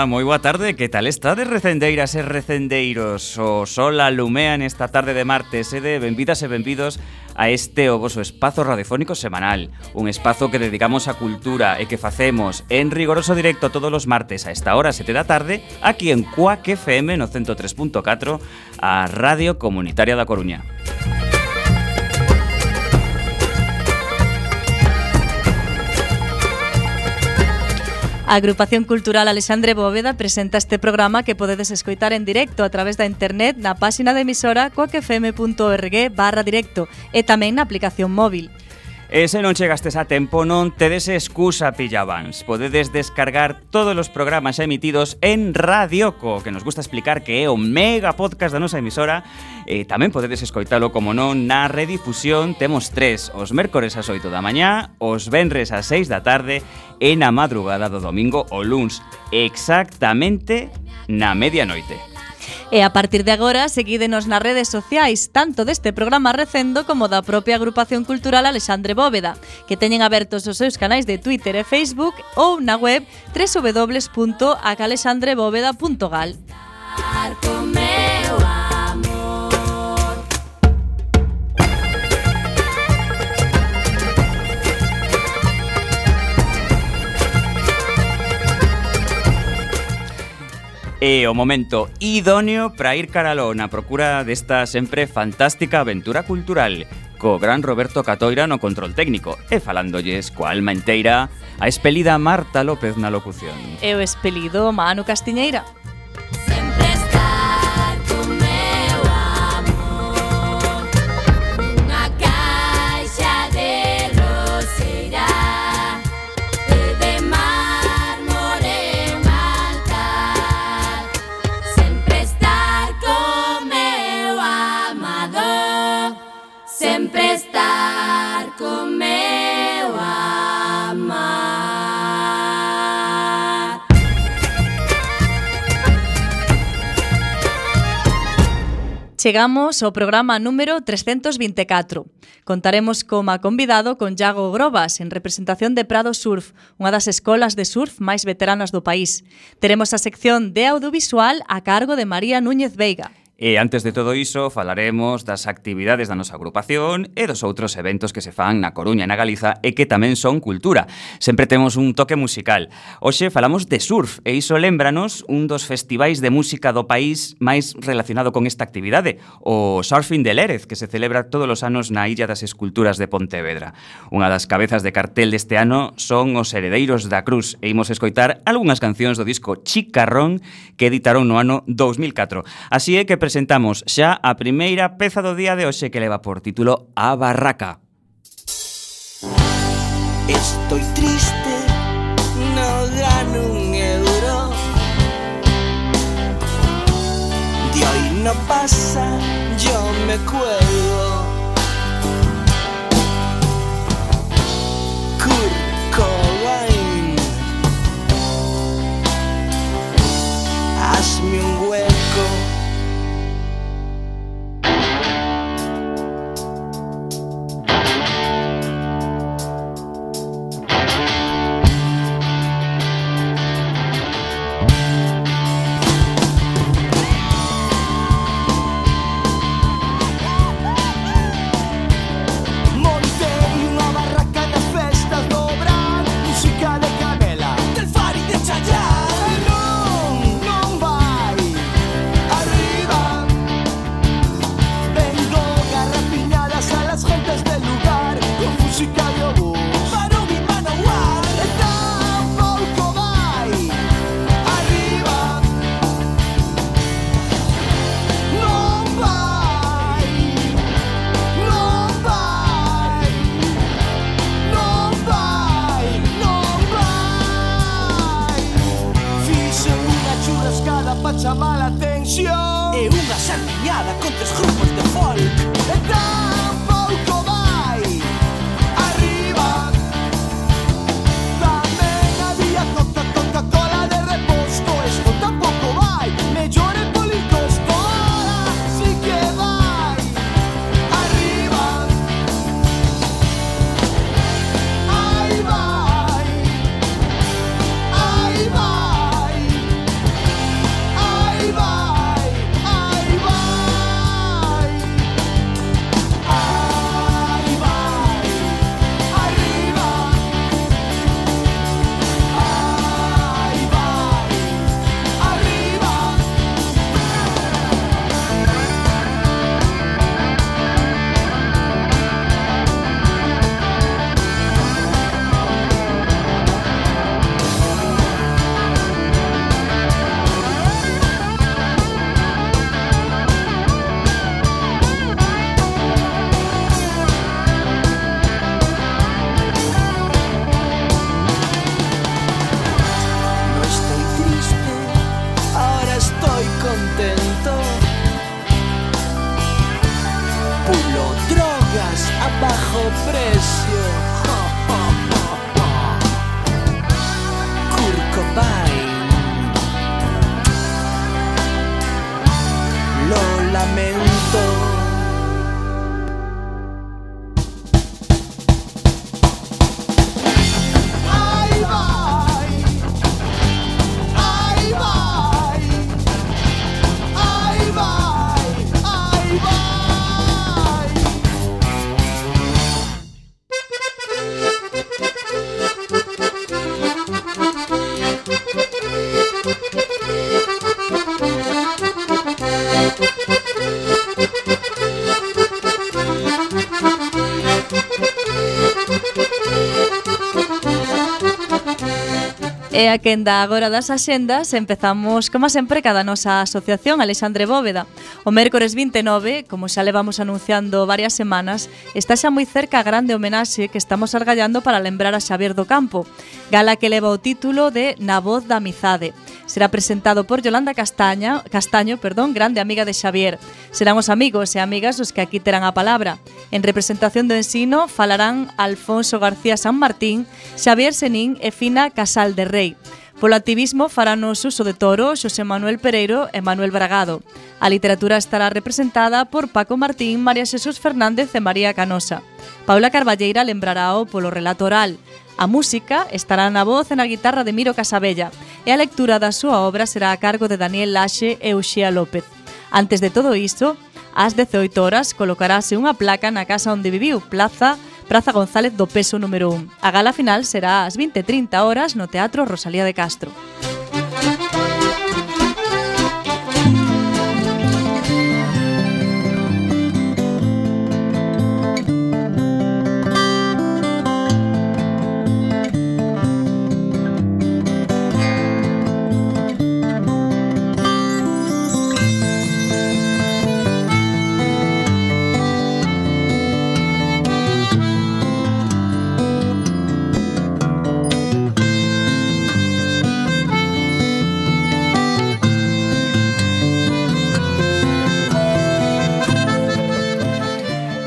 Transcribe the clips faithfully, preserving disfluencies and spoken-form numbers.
Ola, moi boa tarde, que tal estades, recendeiras e recendeiros? O sol alumea nesta tarde de martes e de benvidas e benvidos a este o voso espazo radiofónico semanal. Un espazo que dedicamos a cultura e que facemos en rigoroso directo todos os martes a esta hora, sete da tarde, aquí en Cuac F M no ciento tres punto catro, a Radio Comunitaria da Coruña. A Agrupación Cultural Alexandre Bóveda presenta este programa que podedes escoitar en directo a través da internet na páxina de emisora cuacfm punto org barra directo e tamén na aplicación móvil. E se non chegastes a tempo, non tedes excusa, pillabans. Podedes descargar todos os programas emitidos en Radioco, que nos gusta explicar que é o mega podcast da nosa emisora. E tamén podedes escoitalo, como non, na redifusión. Temos tres, os mércores ás oito da mañá, os venres ás seis da tarde e na madrugada do domingo o luns, exactamente na medianoite. E a partir de agora, seguídenos nas redes sociais, tanto deste programa Recendo como da propia Agrupación Cultural Alexandre Bóveda, que teñen abertos os seus canais de Twitter e Facebook ou na web doble u doble u doble u punto a alexandre bóveda punto gal. E o momento idóneo para ir caraló na procura desta sempre fantástica aventura cultural, co gran Roberto Catoira no control técnico e falándolles coa alma inteira a expelida Marta López na locución. E o expelido Manu Castiñeira. Chegamos ao programa número trescentos vinte e catro. Contaremos como convidado con Iago Grobas, en representación de Prado Surf, unha das escolas de surf máis veteranas do país. Teremos a sección de audiovisual a cargo de María Núñez Veiga. E antes de todo iso, falaremos das actividades da nosa agrupación e dos outros eventos que se fan na Coruña e na Galiza e que tamén son cultura. Sempre temos un toque musical. Hoxe falamos de surf e iso lembranos un dos festivais de música do país máis relacionado con esta actividade, o Surfing de Lérez, que se celebra todos os anos na Illa das Esculturas de Pontevedra. Unha das cabezas de cartel deste ano son os Heredeiros da Cruz e imos escoitar algunhas cancións do disco Chicarrón que editaron no ano dous mil catro. Así é que presentamos xa a primeira peza do día de hoxe que leva por título A Barraca. Estoy triste, no gano un euro. De hoy no pasa, yo me cuelgo. Kurt Cobain, hazme un hueco. temas a bajo precio. Kurt Cobain. Lo lamento. E a quenda agora das axendas, empezamos, como sempre, cada nosa asociación Alexandre Bóveda. O mércores vinte e nove, como xa levamos anunciando varias semanas, está xa moi cerca a grande homenaxe que estamos argallando para lembrar a Xavier do Campo, gala que leva o título de Na voz da amizade. Será presentado por Yolanda Castaña, Castaño, perdón, grande amiga de Xavier. Serán os amigos e amigas os que aquí terán a palabra. En representación do ensino falarán Alfonso García San Martín, Xavier Senín e Fina Casal de Rei. Polo activismo faranos uso de toro Xosé Manuel Pereiro e Manuel Bragado. A literatura estará representada por Paco Martín, María Xesús Fernández e María Canosa. Paula Carballeira lembrarao polo relato oral. A música estará na voz e na guitarra de Miro Casabella e a lectura da súa obra será a cargo de Daniel Laxe e Uxía López. Antes de todo isto, ás dezaoito horas colocarase unha placa na casa onde viviu, Plaza Praza González do Peso número un. A gala final será ás vinte e trinta horas no Teatro Rosalía de Castro.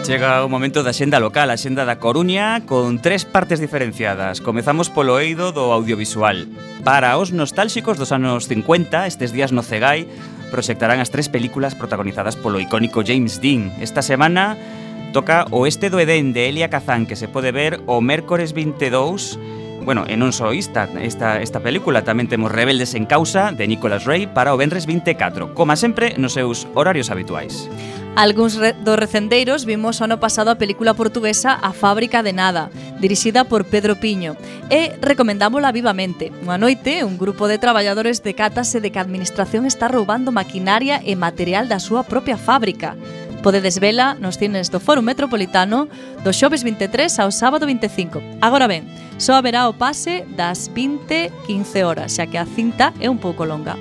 Chega o momento da xenda local, a xenda da Coruña, con tres partes diferenciadas. Comezamos polo eido do audiovisual. Para os nostálxicos dos anos cincuenta, estes días no Cegai, proxectarán as tres películas protagonizadas polo icónico James Dean. Esta semana toca Oeste do Edén, de Elia Kazan, que se pode ver o mércores vinte e dous. Bueno, e non só esta, esta, esta película, tamén temos Rebeldes en Causa, de Nicholas Ray, para o venres vinte e catro, como sempre, nos seus horarios habituais. Algúns re dos recendeiros vimos o ano pasado a película portuguesa A Fábrica de Nada, dirixida por Pedro Piño, e recomendámola vivamente. Unha noite, un grupo de traballadores decátase de que a administración está roubando maquinaria e material da súa propia fábrica. Podedes vela nos cines do Fórum Metropolitano do xoves vinte e tres ao sábado vinte e cinco. Agora ben, só haberá o pase das vinte e quince horas, xa que a cinta é un pouco longa.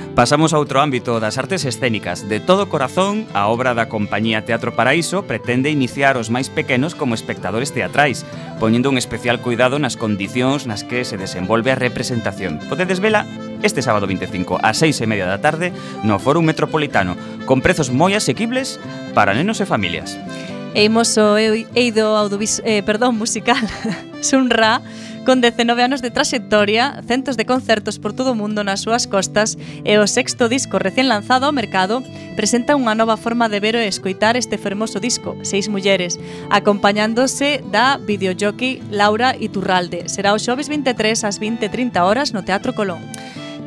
Pasamos a outro ámbito das artes escénicas. De todo corazón, a obra da compañía Teatro Paraíso pretende iniciar os máis pequenos como espectadores teatrais, poñendo un especial cuidado nas condicións nas que se desenvolve a representación. Podedes vela este sábado vinte e cinco ás seis e media da tarde no Fórum Metropolitano, con prezos moi asequibles para nenos e familias. E imos o eido audiovis, eh, perdón, musical Sun Ra, con dezenove anos de traxectoria, centos de concertos por todo o mundo nas súas costas e o sexto disco recén lanzado ao mercado presenta unha nova forma de ver e escoitar este fermoso disco, Seis mulleres, acompañándose da videojockey Laura Iturralde. Será o xoves vinte e tres ás vinte e trinta horas no Teatro Colón.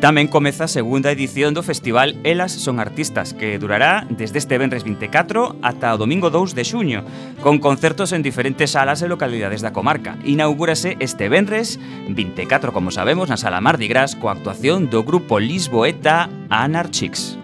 Tamén comeza a segunda edición do festival Elas son artistas, que durará desde este venres vinte e catro ata o domingo dous de xuño, con concertos en diferentes salas e localidades da comarca. Inaugúrase este venres vinte e catro, como sabemos, na Sala Mardi Gras, coa actuación do grupo lisboeta Anarchix.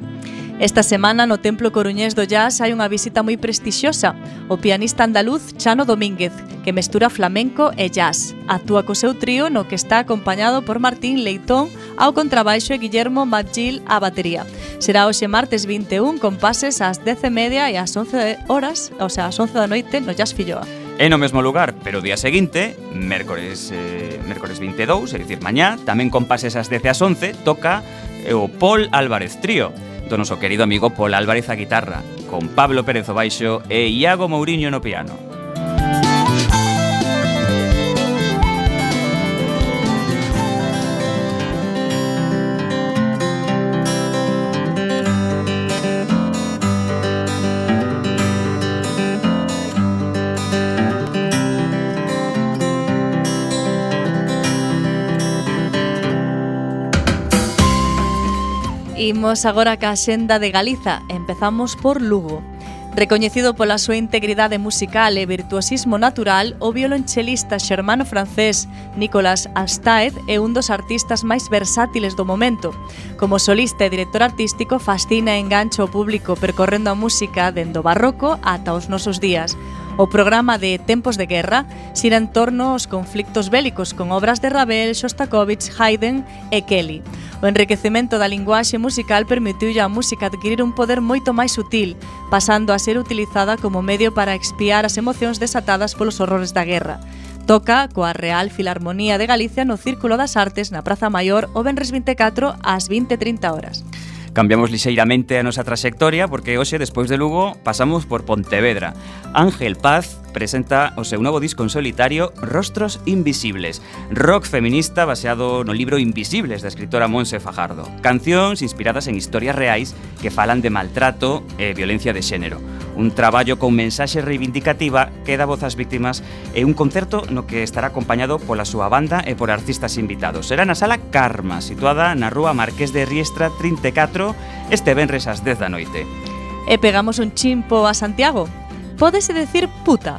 Esta semana no Templo Coruñés do Jazz hai unha visita moi prestixiosa. O pianista andaluz Chano Domínguez, que mestura flamenco e jazz. Actúa co seu trío no que está acompañado por Martín Leitón ao contrabaixo e Guillermo Magil á batería. Será hoxe martes vinte e un con pases ás dez e media e ás once horas, o sea, ás once da noite no Jazz Filloa. E no mesmo lugar, pero o día seguinte, mércores, eh, mércores vinte e dous, é dicir, mañá, tamén con pases ás dez e ás once, toca o Paul Álvarez Trío, do noso querido amigo Paul Álvarez a guitarra, con Pablo Pérez o baixo e Iago Mouriño no piano. Imos agora ca xenda de Galiza. Empezamos por Lugo. Recoñecido pola súa integridade musical e virtuosismo natural, o violonchelista xermano-francés Nicolas Alstaed é un dos artistas máis versátiles do momento. Como solista e director artístico, fascina e engancha o público percorrendo a música dende o barroco ata os nosos días. O programa de Tempos de Guerra xira en torno aos conflictos bélicos con obras de Ravel, Shostakovich, Haydn e Kelly. O enriquecemento da linguaxe musical permitiulle á música adquirir un poder moito máis sutil, pasando a ser utilizada como medio para expiar as emocións desatadas polos horrores da guerra. Toca coa Real Filarmonía de Galicia no Círculo das Artes na Praza Maior o venres vinte e catro ás vinte e trinta horas. Cambiamos lixeiramente a nosa traxectoria porque hoxe, despois de Lugo, pasamos por Pontevedra. Ángel Paz presenta o seu novo disco en solitario Rostros Invisibles, rock feminista baseado no libro Invisibles da escritora Montse Fajardo. Cancións inspiradas en historias reais que falan de maltrato e violencia de xénero. Un traballo con mensaxe reivindicativa que dá voz ás víctimas e un concerto no que estará acompañado pola súa banda e por artistas invitados. Será na Sala Karma, situada na rúa Marqués de Riestra trinta e catro, este venres ás dez da noite. E pegamos un chimpo a Santiago. Pódese decir puta.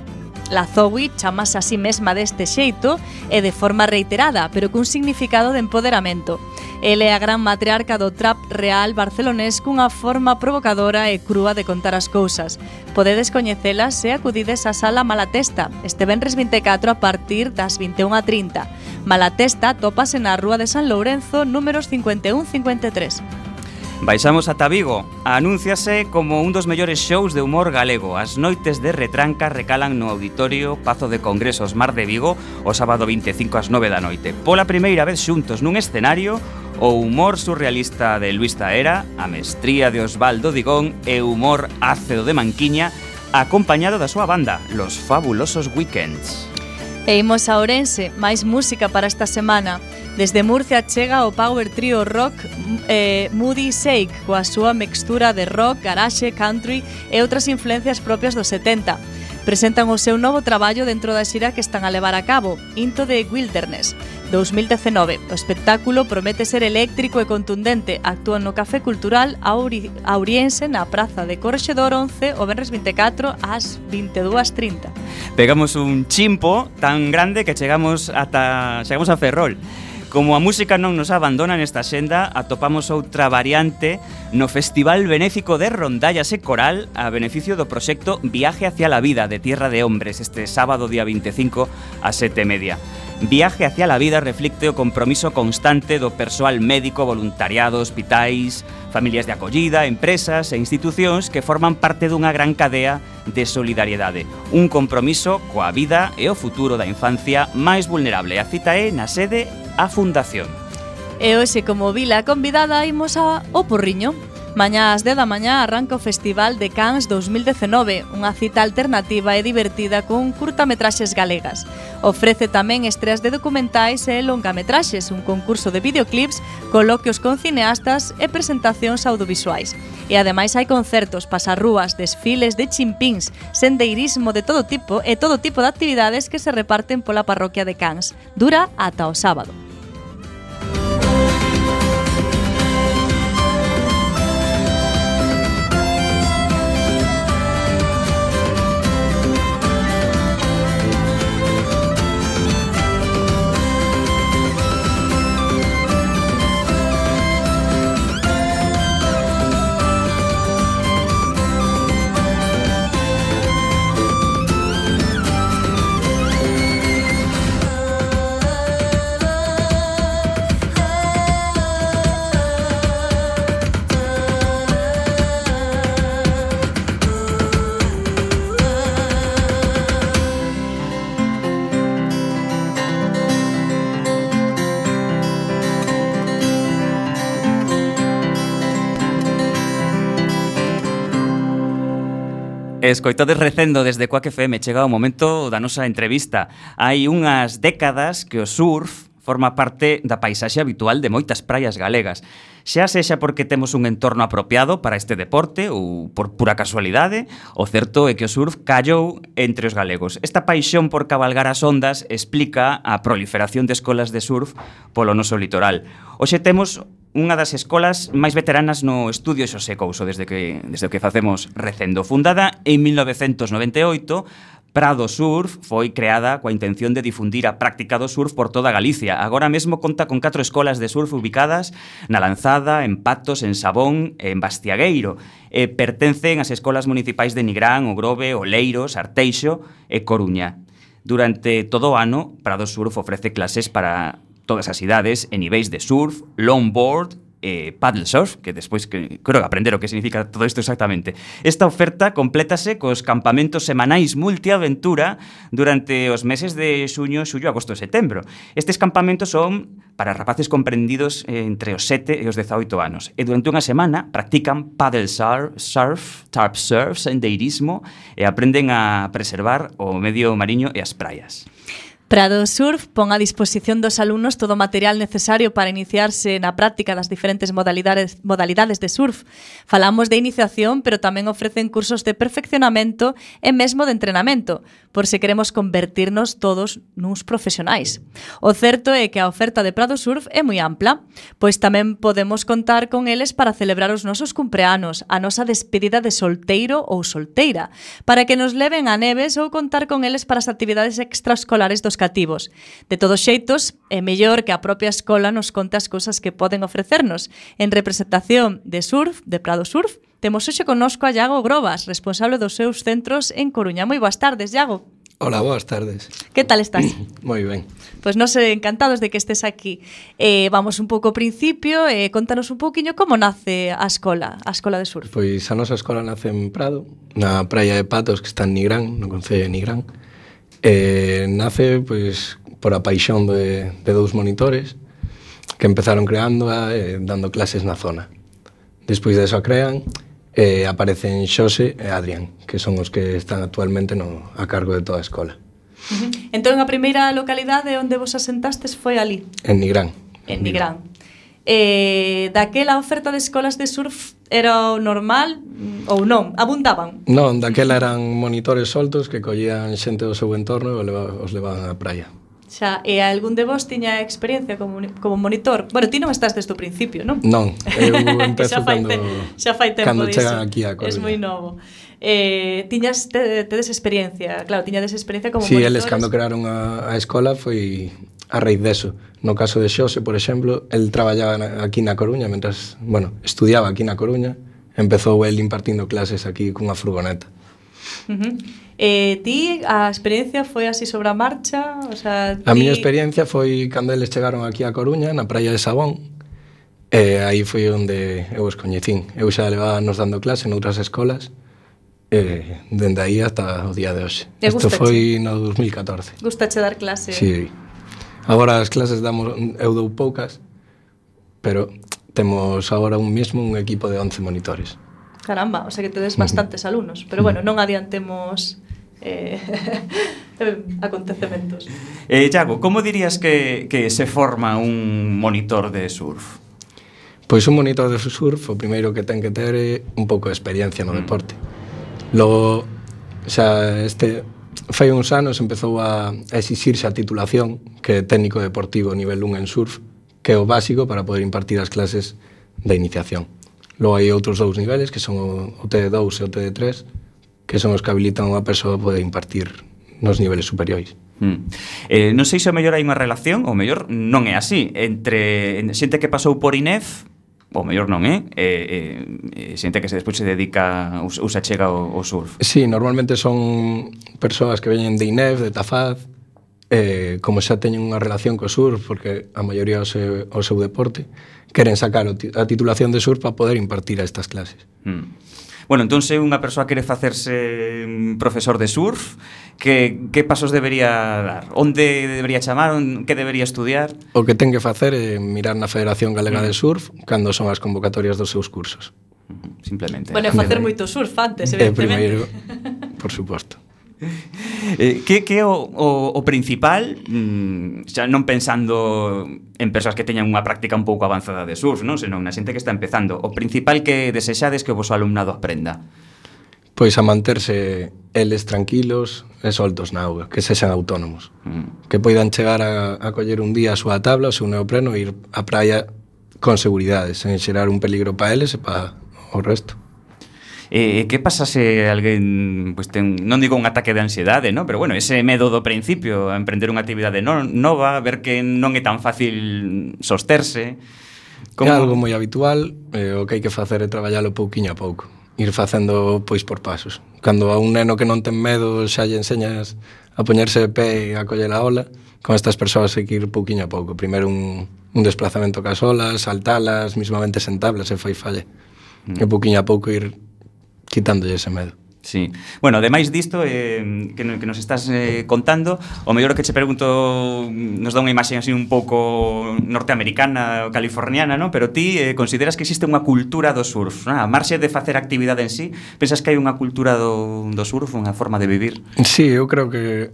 La Zoe chamase a sí mesma deste xeito e de forma reiterada, pero cun significado de empoderamento. Ele é a gran matriarca do trap real barcelonés cunha forma provocadora e crúa de contar as cousas. Podedes coñecelas se acudides á Sala Malatesta, este venres vinte e catro a partir das vinte e unha e trinta. Malatesta tópase na Rúa de San Lourenzo, números cincuenta e un cincuenta e tres. Baixamos ata Vigo. Anúnciase como un dos mellores shows de humor galego. As noites de retranca recalan no Auditorio Pazo de Congresos Mar de Vigo o sábado vinte e cinco ás nove da noite. Pola primeira vez xuntos nun escenario, o humor surrealista de Luis Taera, a mestría de Osvaldo Digón e o humor ácido de Manquiña, acompañado da súa banda, Los Fabulosos Weekends. E imos a Ourense, máis música para esta semana. Desde Murcia chega o power trio rock eh, Moody Shake, coa súa mixtura de rock, garage, country e outras influencias propias dos setenta. Presentan o seu novo traballo dentro da xira que están a levar a cabo, Into the Wilderness, dos mil dezenove. O espectáculo promete ser eléctrico e contundente. Actúan no Café Cultural Auri, Auriense na Praza de Correxedor once o venres vinte e catro ás vinte e dúas e trinta. Pegamos un chimpo tan grande que chegamos ata chegamos a Ferrol. Como a música non nos abandona nesta xenda, atopamos outra variante no Festival Benéfico de Rondallas e Coral a beneficio do proxecto Viaje hacia la Vida de Tierra de Hombres este sábado día vinte e cinco ás sete e media. Viaje hacia la Vida reflicte o compromiso constante do persoal médico, voluntariado, hospitais, familias de acollida, empresas e institucións que forman parte dunha gran cadea de solidariedade. Un compromiso coa vida e o futuro da infancia máis vulnerable. A cita é na sede a Fundación. E hoxe, como vila convidada, imos a O Porriño. Mañá ás dez da mañá arranca o Festival de Cans dos mil dezenove, unha cita alternativa e divertida con curtametraxes galegas. Ofrece tamén estreas de documentais e longametraxes, un concurso de videoclips, coloquios con cineastas e presentacións audiovisuais. E ademais hai concertos, pasarrúas, desfiles de chimpíns, sendeirismo de todo tipo e todo tipo de actividades que se reparten pola parroquia de Cans. Dura ata o sábado. Escoitades recendo desde Quack F M, chega o momento da nosa entrevista. Hai unhas décadas que o surf forma parte da paisaxe habitual de moitas praias galegas. Xa sexa porque temos un entorno apropiado para este deporte ou por pura casualidade, o certo é que o surf callou entre os galegos. Esta paixón por cabalgar as ondas explica a proliferación de escolas de surf polo noso litoral. Hoxe temos unha das escolas máis veteranas no estudio Xosé Couso desde que, desde que facemos Recendo. Fundada en mil novecentos noventa e oito, Prado Surf foi creada coa intención de difundir a práctica do surf por toda Galicia. Agora mesmo conta con catro escolas de surf ubicadas na Lanzada, en Patos, en Sabón e en Bastiagueiro. E pertencen ás escolas municipais de Nigrán, O Grove, Oleiros, Arteixo e Coruña. Durante todo o ano, Prado Surf ofrece clases para todas as idades en niveis de surf, longboard e paddle surf, que despois que, creo que aprender o que significa todo isto exactamente. Esta oferta complétase cos campamentos semanais multiaventura durante os meses de xuño, xullo, agosto e setembro. Estes campamentos son para rapaces comprendidos entre os sete e os dezaoito anos e durante unha semana practican paddle surf, surf tarp surf, sendeirismo e aprenden a preservar o medio mariño e as praias. Prado Surf pon a disposición dos alumnos todo o material necesario para iniciarse na práctica das diferentes modalidades, modalidades de surf. Falamos de iniciación, pero tamén ofrecen cursos de perfeccionamento e mesmo de entrenamento, por se queremos convertirnos todos nuns profesionais. O certo é que a oferta de Prado Surf é moi ampla, pois tamén podemos contar con eles para celebrar os nosos cumpleanos, a nosa despedida de solteiro ou solteira, para que nos leven a neves ou contar con eles para as actividades extraescolares dos cativos. De todos xeitos, é mellor que a propia escola nos conte as cousas que poden ofrecernos. En representación de surf, de Prado Surf, temos hoxe connosco a Iago Grobas, responsable dos seus centros en Coruña. Moi boas tardes, Iago. Hola, boas tardes. Que tal estás? Moi ben. Pois nos encantados de que estés aquí. Eh, vamos un pouco ao principio, eh, contanos un pouquiño como nace a escola, a escola de surf. Pois a nosa escola nace en Prado, na praia de Patos, que está en Nigrán, no concello de Nigrán. Eh, nace pois por a paixón de, de dous monitores que empezaron creando e eh, dando clases na zona. Despois de eso a crean e eh, aparecen Xose e Adrián, que son os que están actualmente no, a cargo de toda a escola. Uh-huh. Entón a primeira localidade onde vos asentastes foi ali? En Nigrán. En Nigrán. Eh, daquela oferta de escolas de surf era o normal ou non? Abundaban? Non, daquela eran monitores soltos que collían xente do seu entorno e os levaban á praia. Xa, e algún de vos tiña experiencia como, como monitor? Bueno, ti non estás desde o principio, non? Non, eu empezo xa fai cando, te, xa fai tempo cando diso. chegan aquí a Coruña. Es moi novo. Eh, tiñas, te, tedes experiencia, claro, tiñades experiencia como sí, monitores. Sí, eles cando crearon a, a escola foi a raíz deso. No caso de Xose, por exemplo, el traballaba na, aquí na Coruña, mentras, bueno, estudiaba aquí na Coruña, empezou el impartindo clases aquí cunha furgoneta. Uh-huh. Eh, ti, a experiencia foi así sobre a marcha? O sea, ti... A miña experiencia foi cando eles chegaron aquí a Coruña, na praia de Sabón, e aí foi onde eu os coñecín. Eu xa levaba nos dando clase noutras escolas, e dende aí hasta o día de hoxe. Isto foi no dos mil catorce. Gustache dar clase? Sí. Agora as clases damos, eu dou poucas, pero temos agora un mesmo un equipo de once monitores. Caramba, o sea que tedes bastantes uh-huh. alumnos. Pero bueno, non adiantemos eh, acontecementos. Eh, Iago, como dirías que, que se forma un monitor de surf? Pois un monitor de surf, o primeiro que ten que ter é un pouco de experiencia no mm. deporte. Logo, xa este... fai uns anos empezou a exixirse a titulación, que é técnico deportivo nivel un en surf, que é o básico para poder impartir as clases de iniciación. Logo hai outros dous niveles, que son o T D dous e o T D tres, que son os que habilitan a unha persoa a poder impartir nos niveles superiores. Mm. Eh, non sei se o mellor hai unha relación, ou mellor non é así, entre xente que pasou por I N E F, ou mellor non, eh? eh, eh xente que se despois se dedica ou se achega ao, ao surf. Sí, normalmente son persoas que veñen de I N E F, de Tafaz, eh, como xa teñen unha relación co surf, porque a maioría o seu, o seu deporte, queren sacar a titulación de surf para poder impartir a estas clases. Mm. Bueno, entón se unha persoa quere facerse profesor de surf, que, que pasos debería dar? Onde debería chamar? Que debería estudiar? O que ten que facer é mirar na Federación Galega mm. de Surf cando son as convocatorias dos seus cursos. Simplemente. Bueno, facer moito surf antes, evidentemente. E primeiro, por suposto. Eh, que, que o, o, o principal, mm, xa non pensando en persoas que teñan unha práctica un pouco avanzada de surf, non? Senón na xente que está empezando, o principal que desexades que o vosso alumnado aprenda? Pois a manterse eles tranquilos e soltos na auga, que sexan autónomos, mm. que poidan chegar a, a coller un día a súa tabla, o seu neopreno e ir á praia con seguridade, sen xerar un peligro para eles e para o resto. Eh, que pasa se alguén pues, ten, non digo un ataque de ansiedade, no? Pero bueno, ese medo do principio a emprender unha actividade no, nova, ver que non é tan fácil sosterse. Como... É algo moi habitual, eh, o que hai que facer é traballalo pouquiño a pouco, ir facendo pois por pasos. Cando a un neno que non ten medo xa lle enseñas a poñerse de pé e a coller a ola, con estas persoas hai que ir pouquiño a pouco. Primeiro un, un desplazamento cas olas, saltalas, mismamente sentablas se fai falle. Mm. E pouquiño a pouco ir quitándolle ese medo. Sí. Bueno, ademais disto eh, que, que nos estás eh, contando, o mellor que che pregunto nos dá unha imaxe así un pouco norteamericana ou californiana, ¿no? Pero ti eh, consideras que existe unha cultura do surf, ¿no? A marxe de facer actividade en sí, pensas que hai unha cultura do, do surf, unha forma de vivir? Sí, eu creo que,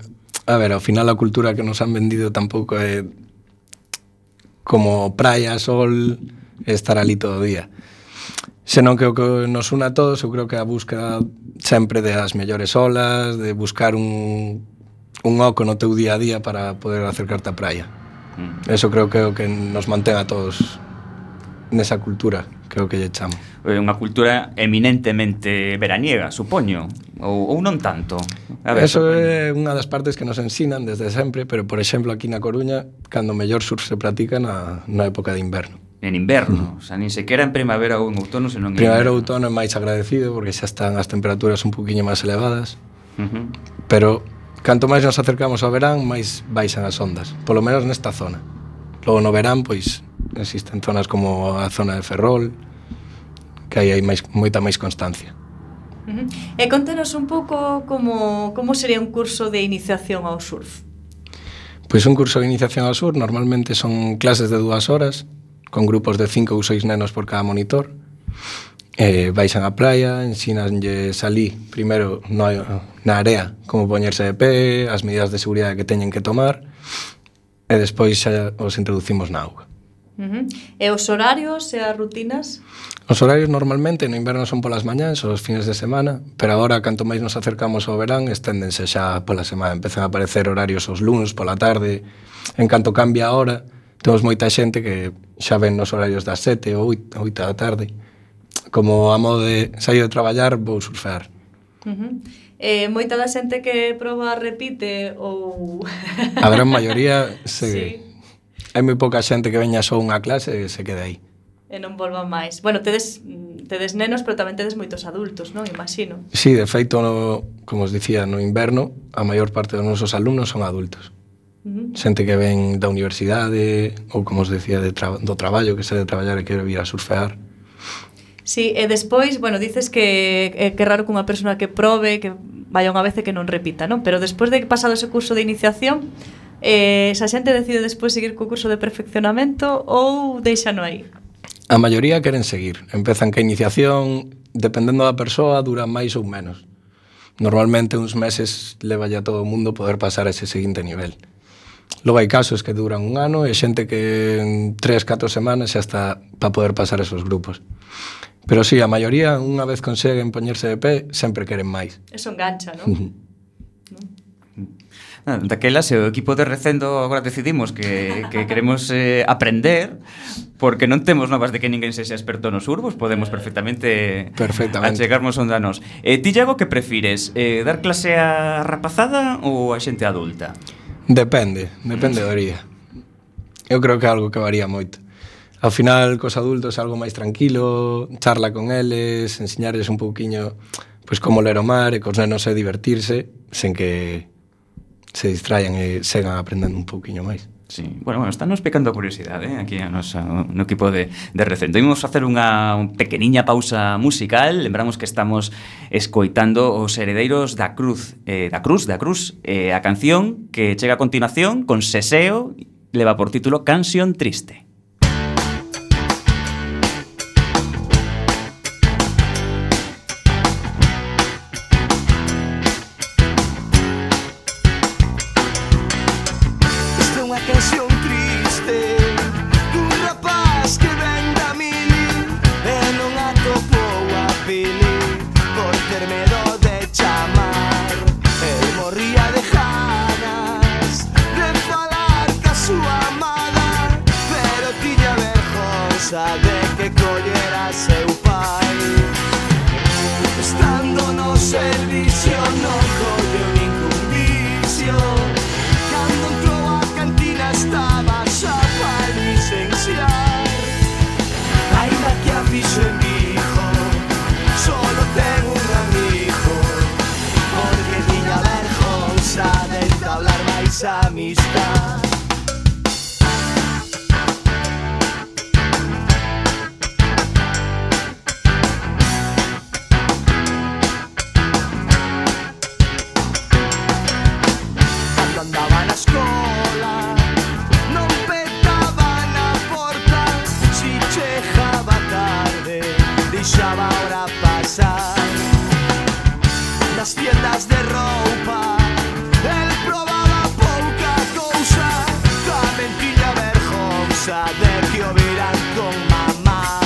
a ver, ao final a cultura que nos han vendido tampouco é como praia, sol, estar ali todo o día. Senón que o que nos une a todos, eu creo que a búsqueda sempre das mellores olas, de buscar un, un oco no teu día a día para poder acercarte á praia. Mm. Eso creo que é o que nos mantén a todos nesa cultura, que é o que lle chamo. É unha cultura eminentemente veraniega, supoño, ou, ou non tanto. A ver, eso é unha das partes que nos ensinan desde sempre, pero, por exemplo, aquí na Coruña, cando mellor surf se pratica na, na época de inverno. En inverno, uh -huh. O sea, nin sequera en primavera ou en outono, senón en primavera ou outono é máis agradecido porque xa están as temperaturas un poquinho máis elevadas. Uh -huh. Pero canto máis nos acercamos ao verán, máis baixan as ondas, polo menos nesta zona. Logo no verán, pois existen zonas como a zona de Ferrol, que aí hai máis, moita máis constancia. Uh -huh. E contanos un pouco como, como sería un curso de iniciación ao surf. Pois un curso de iniciación ao surf normalmente son clases de dúas horas, con grupos de cinco ou seis nenos por cada monitor. Eh, baixan á praia, ensínanlles alí, primeiro no, na area, como poñerse de pé, as medidas de seguridade que teñen que tomar, e despois xa os introducimos na auga. Uh -huh. E os horarios e as rutinas? Os horarios normalmente no inverno son polas mañáns ou os fines de semana, pero agora, canto máis nos acercamos ao verán, esténdense xa pola semana. Empezan a aparecer horarios os lunes pola tarde. En canto cambia a hora, temos moita xente que xa ven nos horarios das sete ou oito da tarde. Como a modo de sair de traballar, vou surfear. Uh -huh. Eh, moita da xente que proba repite ou... A gran maioría se... Sí. Hai moi pouca xente que veña só unha clase e se quede aí. E non volva máis. Bueno, tedes, tedes nenos, pero tamén tedes moitos adultos, non? Imagino. Sí, de feito, no, como os dicía, no inverno, a maior parte dos nosos alumnos son adultos. Uh -huh. Xente que ven da universidade ou, como os decía, de tra do traballo, que se de traballar e quere vir a surfear. Sí, e despois, bueno, dices que é que raro que unha persona que probe, que vaya unha vez e que non repita, non? Pero despois de que pasado ese curso de iniciación, eh, esa xente decide despois seguir co curso de perfeccionamento ou deixano aí? A maioría queren seguir. Empezan ca iniciación, dependendo da persoa, dura máis ou menos. Normalmente uns meses leva ya todo o mundo poder pasar a ese seguinte nivel. Logo hai casos que duran un ano e xente que en tres, catro semanas xa está para poder pasar esos grupos. Pero sí, a maioría, unha vez conseguen poñerse de pé, sempre queren máis. Eso engancha, non? Ah, daquela, se o equipo de Recendo agora decidimos que, que queremos eh, aprender, porque non temos novas de que ninguén sexa experto no surf, podemos perfectamente, perfectamente. achegarnos onde a nós. Eh, ti, Iago, que prefires? Eh, dar clase a rapazada ou a xente adulta? Depende, depende do día. Eu creo que é algo que varía moito. Ao final, cos adultos é algo máis tranquilo, charla con eles, enseñarles un pouquiño pois como ler o mar e cos nenos é divertirse sen que se distraian e segan aprendendo un pouquiño máis. Sí, bueno, bueno, está nos pecando a curiosidade, eh, aquí a nosa, no equipo de, de Recendo. Imos facer unha pequeniña pausa musical. Lembramos que estamos escoitando os Heredeiros da Cruz, eh, da Cruz, da Cruz, eh, a canción que chega a continuación con Seseo, leva por título Canción Triste. Pero esa amistad. Cando andaba na escola non petaban a porta, si chegaba tarde deixaba a hora pasar. Nas tiendas de roupa el probaba pouca cousa, tamén tiña vergonza de que o viran con mamá.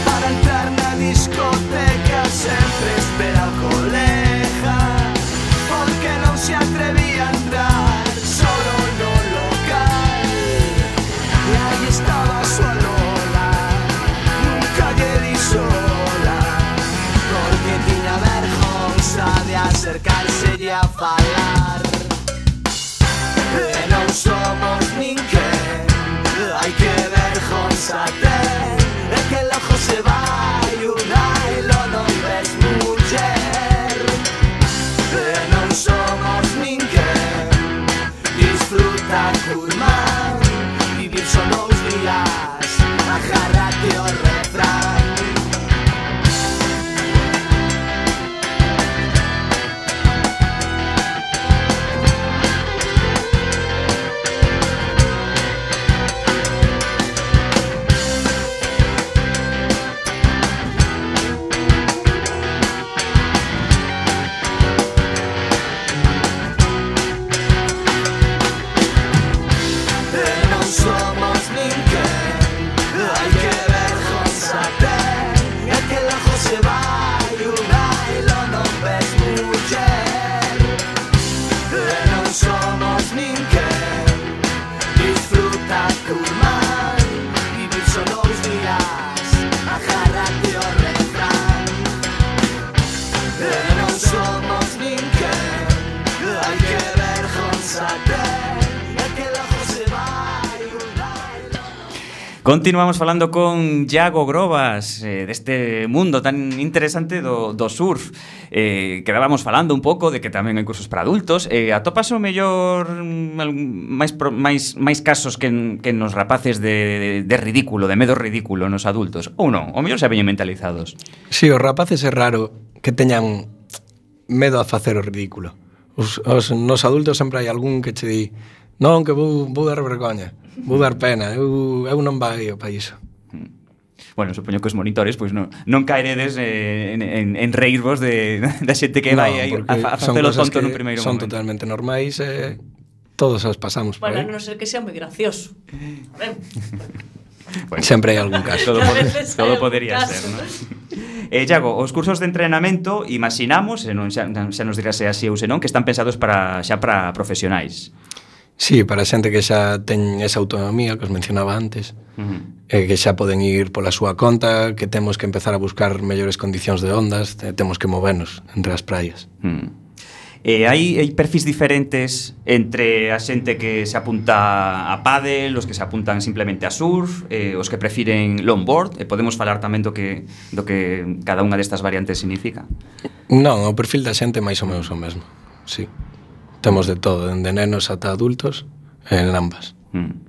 Para entrar na discoteca sempre espera o colega, porque non se atrevía a entrar solo no local. E aí estaba a súa Lola, nunca lle di sola, porque tiña vergonza de acercárselle a falar. E non somos ninguén, ai que vergonza ten, é que el ojo se vai, un ailo non ves muller. E non somos ninguén, disfruta curmán, vivir son os días, agárrate o refrán. Somos ninguén, ai que vergonza ten, é que el ojo se vai, un ailo non ves muller. E non somos ninguén, disfruta curmán, vivir son os días, agárrate o refrán. E non somos ninguén, ai que vergonza ten, é que el ojo se vai. Continuamos falando con Iago Grobas eh, deste mundo tan interesante do, do surf. Eh, quedábamos falando un pouco de que tamén hai cursos para adultos. Eh, atopas o mellor mm, máis, pro, máis, máis casos que, que nos rapaces de, de, de ridículo, de medo ridículo nos adultos? Ou non? O mellor se veñen mentalizados. Si, sí, os rapaces é raro que teñan medo a facer o ridículo. Os, os, nos adultos sempre hai algún que che di non, que vou, vou dar vergoña, vou dar pena, eu, eu non vai para iso. Bueno, supoño que os monitores pois non, non caeredes eh, en, en, en reírvos de, da xente que vai aí a, a facelo tonto nun primeiro son momento. Son totalmente normais e eh, todos os pasamos por Bueno, aí. non sei que sea moi gracioso. A ver. Bueno, sempre hai algún caso. Todo, todo podería ser, ¿no? Eh, Iago, os cursos de entrenamento imaginamos, se non xa, xa nos dirá se así ou se non, que están pensados para xa para profesionais. Sí, para xente que xa ten esa autonomía que os mencionaba antes, uh-huh. eh, que xa poden ir pola súa conta, que temos que empezar a buscar mellores condicións de ondas, eh, temos que movernos entre as praias. Uh-huh. Eh, hai, hai perfis diferentes entre a xente que se apunta a pádel, os que se apuntan simplemente a surf, eh, os que prefiren longboard, e podemos falar tamén do que, do que cada unha destas variantes significa? Non, o perfil da xente máis ou menos o mesmo, sí. Temos de todo, dende nenos ata adultos, en ambas. Mm.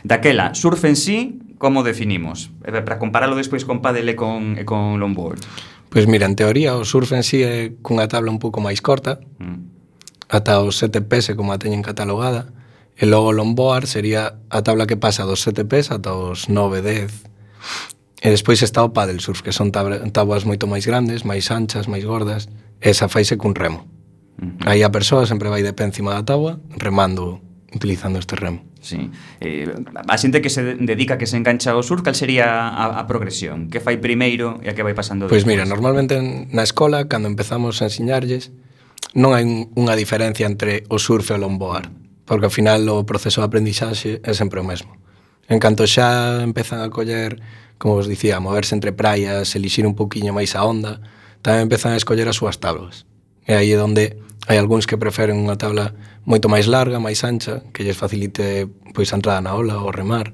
Daquela, surf en sí, como definimos? Eh, para comparalo despois con pádel e con, e con longboard. Pois mira, en teoría, o surf en sí é cunha tabla un pouco máis corta, mm. ata os sete pés como a teñen catalogada, e logo o longboard sería a tabla que pasa dos sete pés ata os nove, dez. E despois está o paddle surf, que son tabuas moito máis grandes, máis anchas, máis gordas, e esa faise cun remo. Uh-huh. Aí a persoa sempre vai de pé encima da tábua remando, utilizando este remo. Sí. Eh, a xente que se dedica, que se engancha ao surf, cal sería a, a progresión? Que fai primeiro e a que vai pasando despois? Pois después? mira, normalmente na escola, cando empezamos a ensiñarlles, non hai unha diferencia entre o surf e o longboard, porque ao final o proceso de aprendizaxe é sempre o mesmo. En canto xa empezan a coller, como vos dicía, a moverse entre praias, elixir un pouquiño máis a onda, tamén empezan a escoller as súas tablas. E aí é onde hai algúns que preferen unha tabla moito máis larga, máis ancha, que lles facilite pois a entrada na ola ou remar.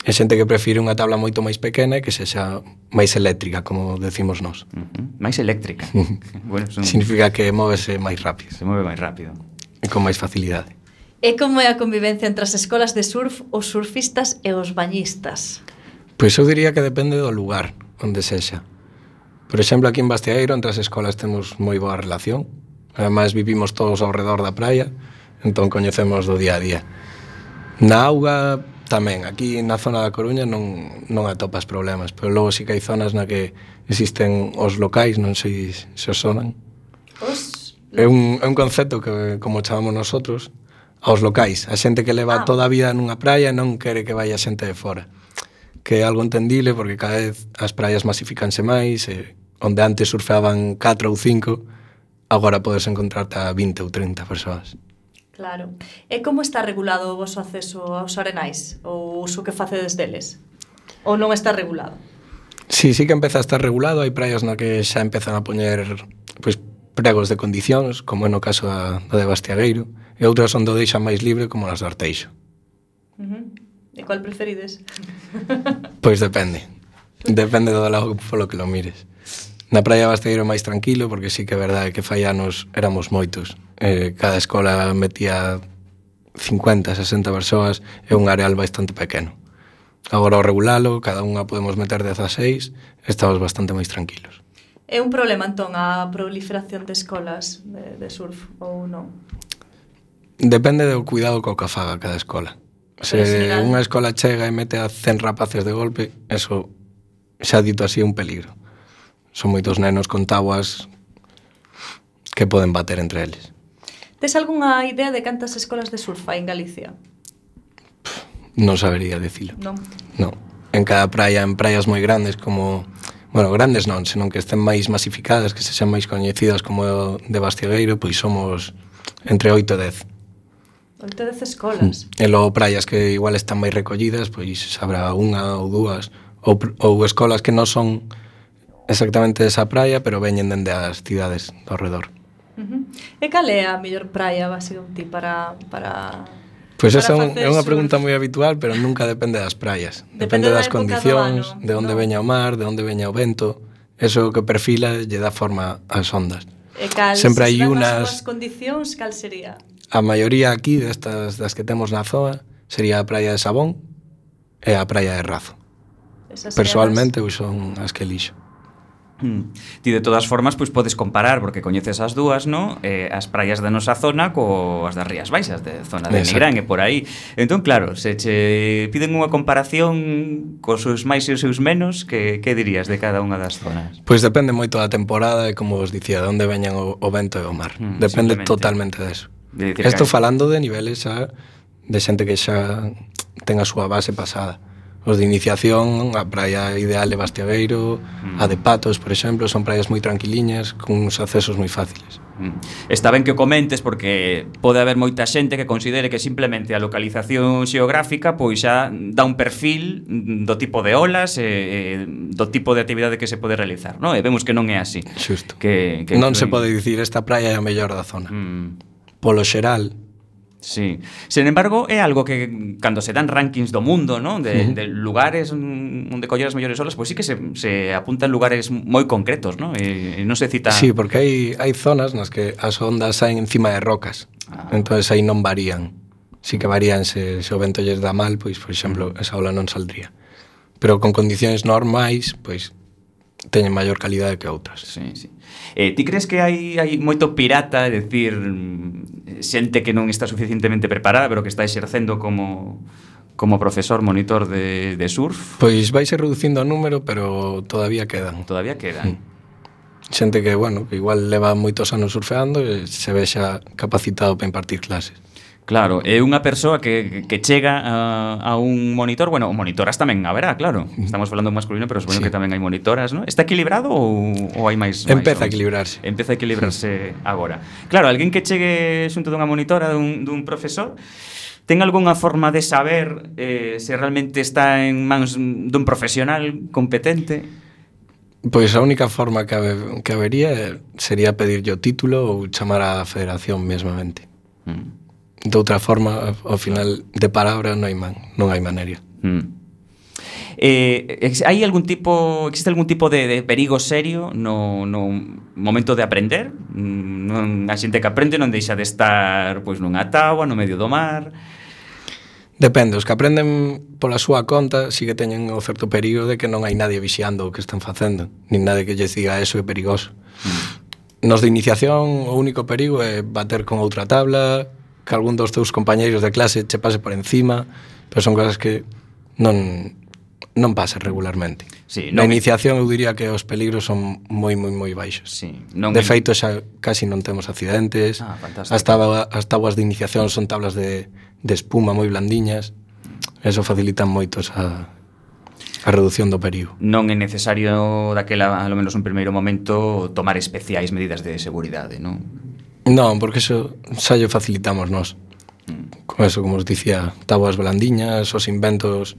E xente que prefire unha tabla moito máis pequena e que sexa máis eléctrica, como decimos nós. Uh-huh. Máis eléctrica. Bueno, son... Significa que móvese máis rápido. Se move máis rápido. e con máis facilidade. E como é a convivencia entre as escolas de surf, os surfistas e os bañistas? Pois eu diría que depende do lugar onde sexa. Por exemplo, aquí en Bastiagueiro, entre as escolas temos moi boa relación. Ademais, vivimos todos ao redor da praia, entón coñecemos do día a día. Na auga tamén, aquí na zona da Coruña non, non atopas problemas, pero logo sí que hai zonas na que existen os locais, non sei se os sonan. Os... É un, é un concepto que, como chamamos nosotros, aos locais, a xente que leva Ah. toda a vida nunha praia non quere que vaya xente de fora, que é algo entendible porque cada vez as praias masificanse máis, e onde antes surfeaban catro ou cinco, agora podes encontrarte a vinte ou trinta persoas. Claro. E como está regulado o voso acceso aos arenais? Ou o uso que facedes deles? Ou non está regulado? Sí, sí que empeza a estar regulado, hai praias na que xa empezan a poñer pois, pregos de condicións, como é no caso da, da de Bastiagueiro, e outras onde o deixan máis libre, como nas de Arteixo. Uh-huh. E cual preferides? Pois depende. Depende do lado polo que lo mires. Na praia de Bastiagueiro é máis tranquilo, porque sí que é verdade que fai anos éramos moitos. Eh, cada escola metía cincuenta, sesenta persoas, é un areal bastante pequeno. Agora ao regulalo, cada unha podemos meter dezaseis, estamos bastante máis tranquilos. É un problema, entón, a proliferación de escolas de, de surf, ou non? Depende do cuidado co que faga cada escola. Se general... unha escola chega e mete a cen rapaces de golpe, eso, xa dito así, é un peligro. Son moitos nenos con tabuas que poden bater entre eles. Tes algunha idea de cantas escolas de surf hai en Galicia? Non sabería dicilo. Non. Non. En cada praia, en praias moi grandes como... Bueno, grandes non, senón que estén máis masificadas, que se sean máis coñecidas como de Bastiagueiro, pois somos entre oito e dez. Oito dez escolas. E logo praias que igual están máis recollidas, pois habrá unha ou dúas, ou, ou escolas que non son exactamente desa praia, pero veñen dende as cidades do redor. Uh-huh. E cal é a mellor praia, basicamente, para... para... Pois para esa é, un, facer é unha surf? pregunta moi habitual, pero nunca depende das praias. Depende Depende, da das época do condicións, ano, de onde non? veña o mar, de onde veña o vento. Eso que perfila lle dá forma ás ondas. E cal, Sempre se hai se dan unas- as súas condicións, cal sería? A maioría aquí destas das que temos na zoa sería a praia de Sabón e a praia de Razo. Esas serían Persoalmente, pois son as que elixo. Mm. Ti de todas formas pois podes comparar porque coñeces as dúas, no? Eh, as praias da nosa zona coas das Rías Baixas, de zona de Exacto. Nigrán e por aí. Entón, claro, se che piden unha comparación cos seus máis e os seus menos, que que dirías de cada unha das zonas? Pois depende moito da temporada e, como vos dicía, de onde veñan o, o vento e o mar. Mm, Depende simplemente. totalmente deso. De dicir Esto que- falando de niveles xa de xente que xa ten a súa base pasada. Os de iniciación, a praia ideal de Bastiagueiro, Mm. a de Patos, por exemplo, son praias moi tranquiliñas, con uns accesos moi fáciles. Mm. Está ben que o comentes porque pode haber moita xente que considere que simplemente a localización xeográfica pois xa dá un perfil do tipo de olas e, e do tipo de actividade que se pode realizar, non? E vemos que non é así. Xusto. Que, que Non se influen- pode dicir esta praia é a mellor da zona. Mm. Polo xeral, Sí. Sen embargo, é algo que cando se dan rankings do mundo, ¿no? De, Uh-huh. de lugares mm, onde coller as mellores olas, pois sí que se, se apuntan lugares moi concretos, ¿no? E, e non se cita... sí, porque hai, hai zonas nas que as ondas saen encima de rocas. Ah. Entonces aí non varían. Sí que varían se, se o vento lles dá mal, pois, por exemplo, esa ola non saldría. Pero con condicións normais, pois, teñen maior calidade que outras. Sí, sí. Eh, ti crees que hai, hai moito pirata, é dicir, mm, xente que non está suficientemente preparada, pero que está exercendo como, como profesor, monitor de, de surf? Pois vaise reducindo o número, pero todavía quedan. Todavía quedan. Xente que, bueno, que igual leva moitos anos surfeando e se vexa capacitado para impartir clases. Claro, é unha persoa que, que chega a, a un monitor, bueno, monitoras tamén haberá, claro. Estamos falando masculino, pero supoño Sí. que tamén hai monitoras, ¿no? Está equilibrado ou, ou hai máis? máis Empeza a homes? equilibrarse. Empeza a equilibrarse agora. Claro, alguén que chegue xunto dunha monitora, dun, dun profesor, ten algunha forma de saber eh, se realmente está en mans dun profesional competente? Pois a única forma que, habe, que habería sería pedirlle o título ou chamar á federación mesmamente. Mm. De outra forma, ao final, de palabra non hai man, non hai maneira. Mm. Eh, ex- hai algún tipo, existe algún tipo de, de perigo serio no, no momento de aprender? Mm, Non, a xente que aprende non deixa de estar pois nunha táboa, no medio do mar. Depende, os que aprenden pola súa conta sí que teñen o certo perigo de que non hai nadie vixiando o que están facendo, nin nadie que lles diga eso é perigoso. Nos de iniciación o único perigo é bater con outra tabla, que algún dos teus compañeiros de clase che pase por encima, pero son cosas que non non pasa regularmente. Sí, Na non- iniciación eu diría que os peligros son moi moi moi baixos. Sí, non De feito xa casi non temos accidentes. Ah, fantástico. As, taba, as tabuas de iniciación son tablas de, de espuma moi blandiñas. Eso facilita moito a, a reducción do perigo. non é necesario daquela, ao menos un primeiro momento, tomar especiais medidas de seguridade, non? Non, porque eso xa lle facilitamos nós. Con eso, como os dicía, tabuas blandiñas, os inventos,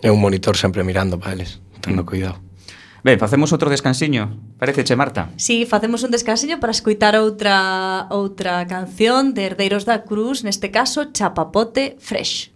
é un monitor sempre mirando para eles, tendo cuidado. Ben, facemos outro descansiño. Pareceche, Marta? Si, sí, facemos un descansiño para escoitar outra outra canción de Herdeiros da Cruz, neste caso Chapapote Fresh.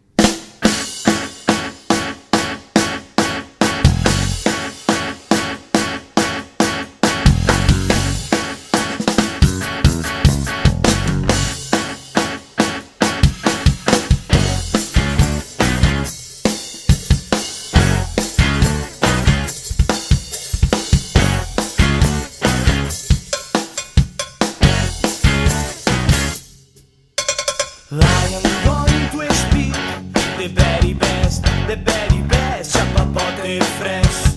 I am going to speak the very best, the very best, chapapote fresh.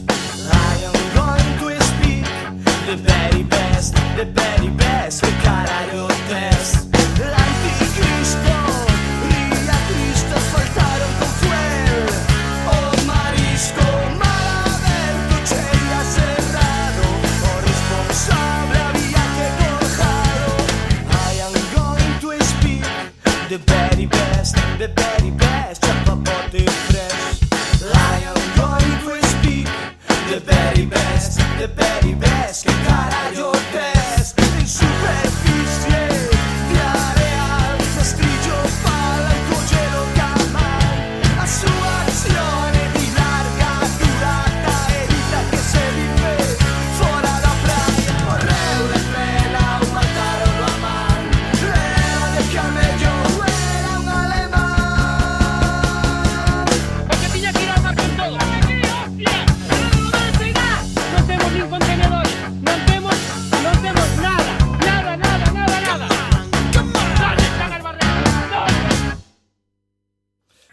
I am going to speak the very best, the very best, que caralho test. Anticristo, ría Cristo, faltaron con fuel. O marisco, mal aberto, cheia cerrado. O responsable había que corjado. I am going to speak the very best, the very best, chapapote fresh. I am going to speak the very best, the very best, que carallo test. En superficie de areal, rastrillo palanco, hielo camal. A su acción de larga durata evita que se vive fora da praia. Morreu de pena, o mataron a man. Era de camello, era un alemán. Porque tiña que ir ao mar con todo. Non temos nin contenedor, non temos, non temos nada, nada, nada, nada, nada. ¿Dónde están as barreras?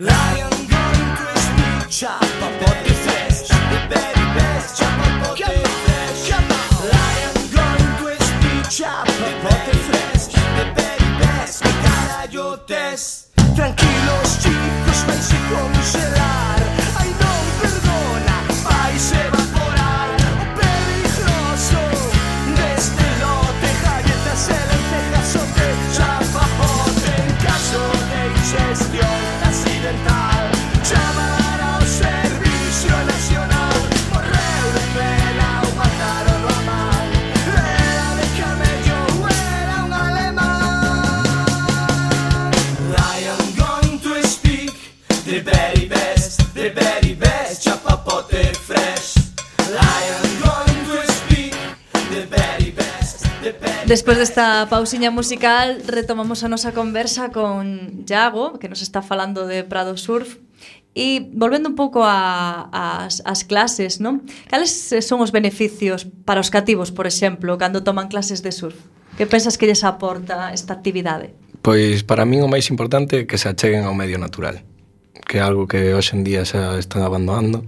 I am going to speak chapapote fresh, the very best chapapote fresh. I am going to speak chapapote fresh, the very best, que carallo test. Tranquilos chicos, vais a congelar. Ai non perdona, vais a evaporar. O peligroso deste lote, galletas e lentejas son de chapapote. En caso de ingestión accidental, chamar ao Servicio Nacional. Morreu de pena, o mataron a man. Era de camello, era un alemán. I am going to speak the very best, the very best, chapapote fresh. I am going to speak the very best, the very Despois desta pausiña musical retomamos a nosa conversa con Iago, que nos está falando de Prado Surf. E volvendo un pouco a, as, as clases, non? Cales son os beneficios para os cativos, por exemplo, cando toman clases de surf? Que pensas que lles aporta esta actividade? Pois para min o máis importante é que se acheguen ao medio natural, que é algo que hoxe en día xa están abandonando.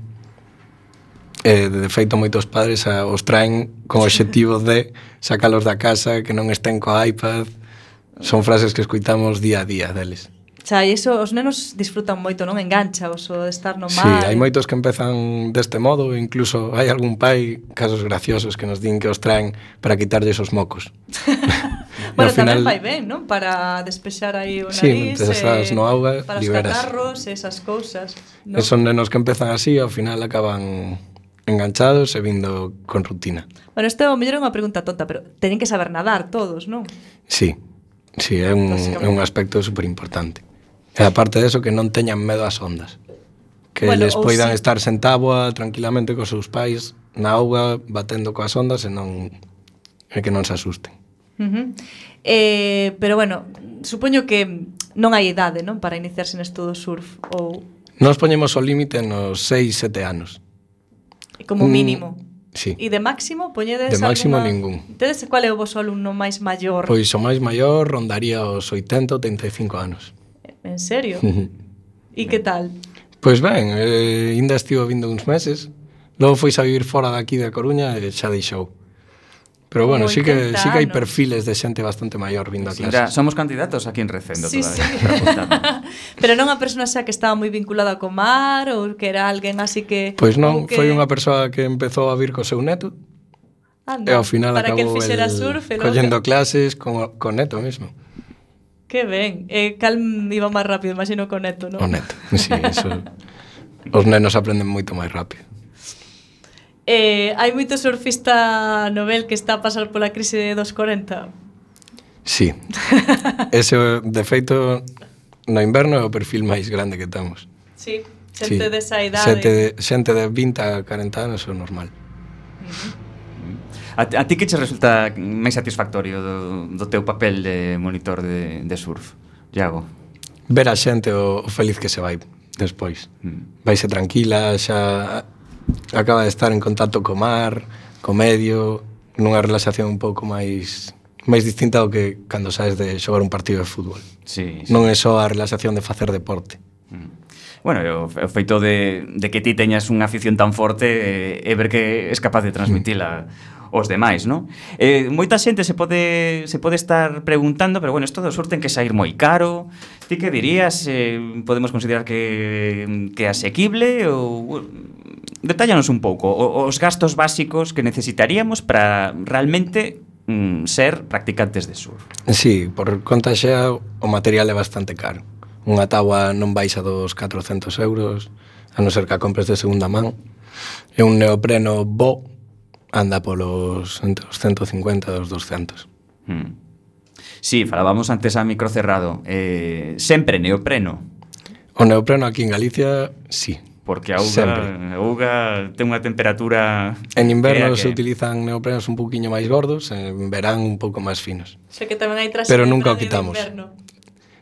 E, de feito, moitos padres a, os traen con o obxectivo de sacalos da casa, que non estén co iPad. Son frases que escoitamos día a día deles. Xa, e iso os nenos disfrutan moito, non? Engancha o so de estar no Sí, mar. hai moitos que empezan deste modo, incluso hai algún pai, casos graciosos, que nos din que os traen para quitarlles os mocos. Bueno, Ao tamén final- vai ben, non? Para despexar aí o nariz, Sí, mentres estás no auga, para os liberas. catarros, esas cousas, non? E son nenos que empezan así, ao final acaban enganchados e vindo con rutina. Bueno, isto ao mellor é unha pregunta tonta, pero teñen que saber nadar todos, non? Sí, sí, é un, é un aspecto super importante. E aparte de eso, que non teñan medo ás ondas. Que que Bueno, eles ou poidan si- estar sen táboa tranquilamente cos seus pais na auga batendo coas ondas e non e que non se asusten. Uh-huh. Eh, pero bueno, supoño que non hai idade, non, para iniciarse nesto do surf ou Nos poñemos o límite nos seis, sete anos. como Mm, mínimo. Sí. E de máximo, poñedes De máximo alguna... ningún. Tedes qual é o voso alumno máis maior? Pois o máis maior rondaría os oitenta, oitenta e cinco anos. En serio? E que tal? Pois ben, eh, ainda estivo vindo uns meses. Logo foi a vivir fora daqui da Coruña e xa deixou. Pero bueno, Como sí que, oitenta sí que hai anos. perfiles de xente bastante maior vindo a Sí, mira, clases. somos candidatos aquí en Recendo Sí, todavía. sí. para apuntarnos. Pero non a persona xa que estaba moi vinculada co mar ou que era alguén así que... Pois non, ou que... foi unha persoa que empezou a vir co seu neto Anda, e ao final para que el acabou fixera el surf e logo- collendo clases con, con neto mesmo. Que ben. E cal iba máis rápido, imagino con neto, non? O neto, sí, eso. Os nenos aprenden moito máis rápido. Eh, hai moito surfista novel que está a pasar pola crise dos corenta. Sí. Ese, de feito, no inverno é o perfil máis grande que temos. Sí, xente Sí. desa idade. Xente de, xente de vinte a corenta anos é o normal. A, a ti que che resulta máis satisfactorio do, do teu papel de monitor de, de surf, Iago? Ver a xente o, o feliz que se vai despois. Mm. Vaise tranquila, xa acaba de estar en contacto co mar, co medio, nunha relaxación un pouco máis máis distinta ao que cando saes de xogar un partido de fútbol. Sí, sí. Non é só a relaxación de facer deporte. Bueno, e o, o feito de, de que ti teñas unha afición tan forte e, e ver que es capaz de transmitila aos demais, non? Eh, moita xente se pode se pode estar preguntando, pero bueno, isto do surf ten que sair moi caro. Ti que dirías? Eh, podemos considerar que que é asequible ou detállanos un pouco o, os gastos básicos que necesitaríamos para realmente mm, ser practicantes de surf. Sí, por conta xa o material é bastante caro. Unha táboa non baixa dos catrocentos euros, a non ser que a compres de segunda man. E un neopreno bo anda polos entre os ciento cincuenta e os doscientos. Mm. Sí, falábamos antes a micro cerrado. Eh, sempre neopreno, O neopreno aquí en Galicia, sí. porque a auga, Sempre. a auga ten unha temperatura... En inverno que é se que- utilizan neoprenos un poquinho máis gordos, en verán un pouco máis finos. Sei que tamén hai traxe Pero de nunca o traje de quitamos. inverno.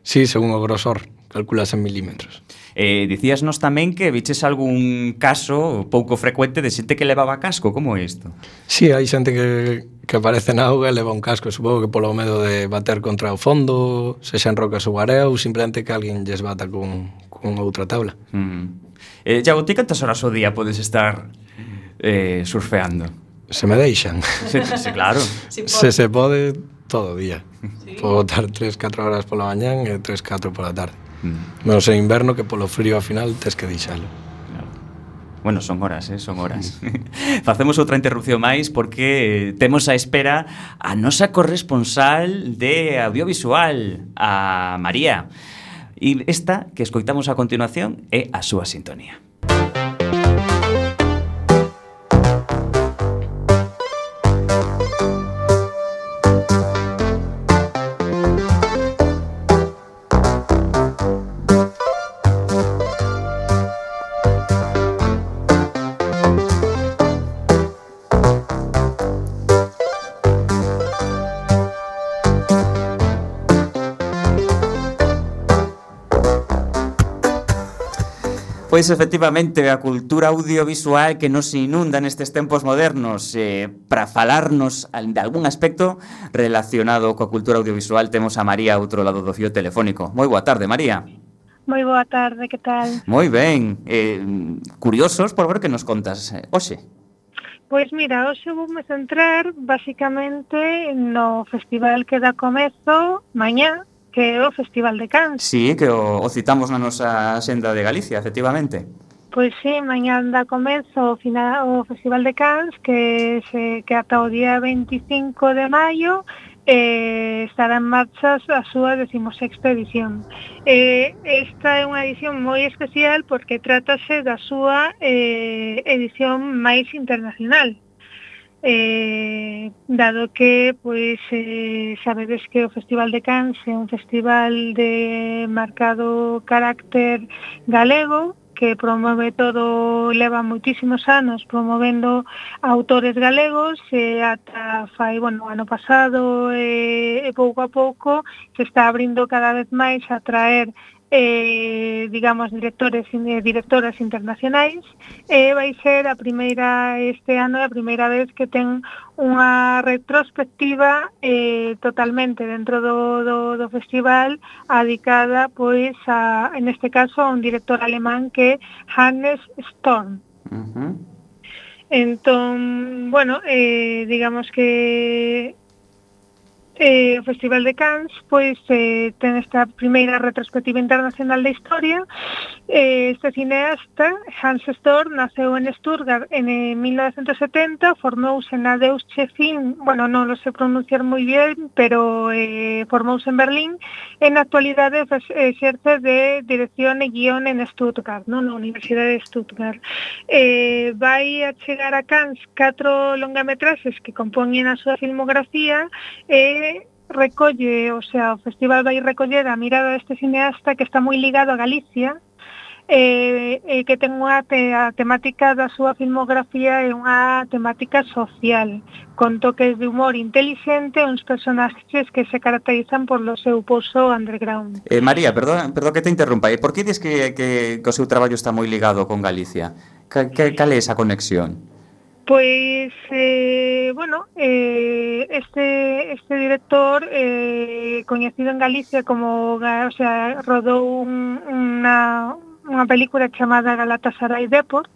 Sí, según o grosor, calculas en milímetros. Eh, dicíasnos tamén que viches algún caso pouco frecuente de xente que levaba casco, como é isto? Sí, hai xente que, que aparece na auga e leva un casco, supongo que polo medo de bater contra o fondo, sexa en rocas ou area, ou simplemente que alguén lles bata con, con outra tabla. Mm. Eh, Iago, ti cantas horas ao día podes estar eh, surfeando? Se me deixan. Sí, sí, claro. Si Se se pode, todo o día. Sí. Podo botar tres, catro horas pola mañán e tres, catro pola tarde. Mm. Menos en inverno que polo frío ao final tes que deixalo. Claro. Bueno, son horas, eh, son horas. Facemos outra interrupción máis porque eh, temos a espera a nosa corresponsal de audiovisual, a María. E esta que escoitamos a continuación é a súa sintonía. Pois efectivamente a cultura audiovisual que nos inunda nestes tempos modernos, eh, para falarnos al- de algún aspecto relacionado coa cultura audiovisual temos a María a outro lado do fío telefónico. Moi boa tarde, María. Moi boa tarde, que tal? Moi ben, eh, curiosos por ver que nos contas eh, hoxe. Pois mira, hoxe voume centrar basicamente no festival que dá comezo mañá, que é o Festival de Cans. Sí, que o, o citamos na nosa xenda de Galicia, efectivamente. Pois sí, mañá dá comezo o, final, o Festival de Cans, que, se, que ata o día veinticinco de maio eh, estará en marcha a súa decimosexta edición. Eh, esta é unha edición moi especial porque trátase da súa eh, edición máis internacional. Eh, dado que pois eh, sabedes que o Festival de Cans é un festival de marcado carácter galego que promove todo, leva moitísimos anos promovendo autores galegos e ata fai, bueno, ano pasado e, e pouco a pouco se está abrindo cada vez máis a traer eh, digamos, directores e directoras internacionais e vai ser a primeira este ano a primeira vez que ten unha retrospectiva eh, totalmente dentro do, do, do festival dedicada pois a, en este caso a un director alemán que é Hannes Storm. Uh-huh. Entón, bueno, eh, digamos que Eh, o Festival de Cannes pois eh, ten esta primeira retrospectiva internacional da historia. Eh, este cineasta, Hans Storm, naceu en Stuttgart en eh, mil novecientos setenta, formouse na Deutsche Film, bueno, non lo sé pronunciar moi bien, pero eh, formouse en Berlín, e na actualidade exerce de dirección e guión en Stuttgart, non? Na Universidade de Stuttgart. Eh, vai a chegar a Cannes catro longametraxes que compoñen a súa filmografía e recolle, o sea, o festival vai recoller a mirada deste cineasta que está moi ligado a Galicia e, e que ten unha te, a temática da súa filmografía é unha temática social con toques de humor inteligente e uns personaxes que se caracterizan por lo seu pozo underground. Eh, María, perdón, perdón que te interrumpa, e por que dis que, que, que o seu traballo está moi ligado con Galicia? Que, que, cal é esa conexión? Pois, eh, bueno, eh, este, este director eh, coñecido en Galicia como, o sea, rodou un, unha, unha película chamada Galatasaray Deport,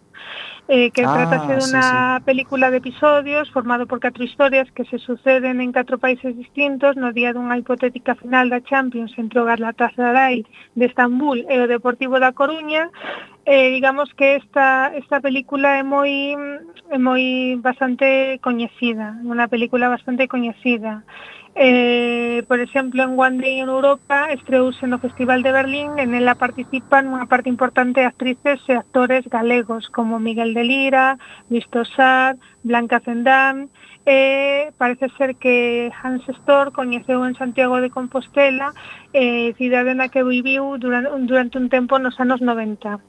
eh, que ah, tratase dunha sí, sí. película de episodios formado por catro historias que se suceden en catro países distintos no día dunha hipotética final da Champions entre o Galatasaray de Estambul e o Deportivo da Coruña. Eh, digamos que esta esta película é moi é moi bastante coñecida, unha película bastante coñecida. Eh, por exemplo, en One Day en Europa estreouse no Festival de Berlín e nela participan unha parte importante de actrices e actores galegos como Miguel de Lira, Luis Tosar, Blanca Cendán. Eh, parece ser que Hans Storm coñeceu en Santiago de Compostela, eh, cidade na que viviu durante, durante un tempo nos anos noventa.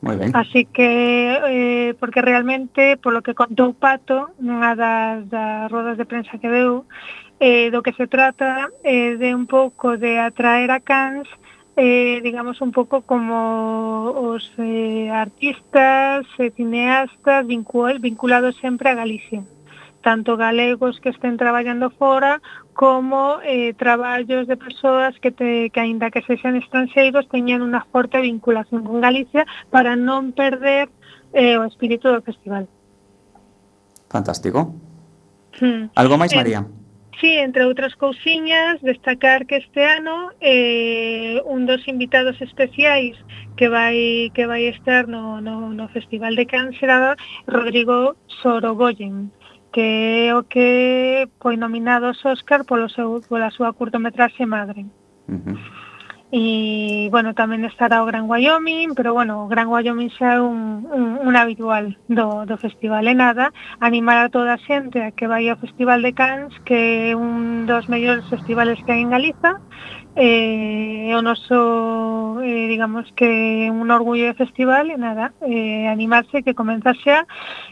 Moi ben. Así que, eh, porque realmente, polo que contou Pato, nunha das, das rodas de prensa que deu, eh, do que se trata eh, de un pouco de atraer a Cannes, eh, digamos, un pouco como os eh, artistas, eh, cineastas vincul vinculados sempre a Galicia. Tanto galegos que estén traballando fora, como eh, traballos de persoas que, te, que aínda que sexan estranxeiros, teñan unha forte vinculación con Galicia para non perder eh, o espírito do festival. Fantástico. Hmm. Algo máis, María? Eh, sí, entre outras cousiñas, destacar que este ano eh, un dos invitados especiais que vai que vai estar no, no, no Festival de Cannes será Rodrigo Sorogoyen, que é o que foi nominado aos Óscar polo seu, pola súa curtometraxe Madre. Uh-huh. E, bueno, tamén estará o Gran Wyoming, pero, bueno, o Gran Wyoming xa é un, un, un habitual do, do festival. E nada, animar a toda a xente a que vai ao Festival de Cannes, que é un dos mellores festivales que hai en Galiza, eh, o noso, eh, digamos que un orgullo de festival, e nada, eh, animarse que comeza xa,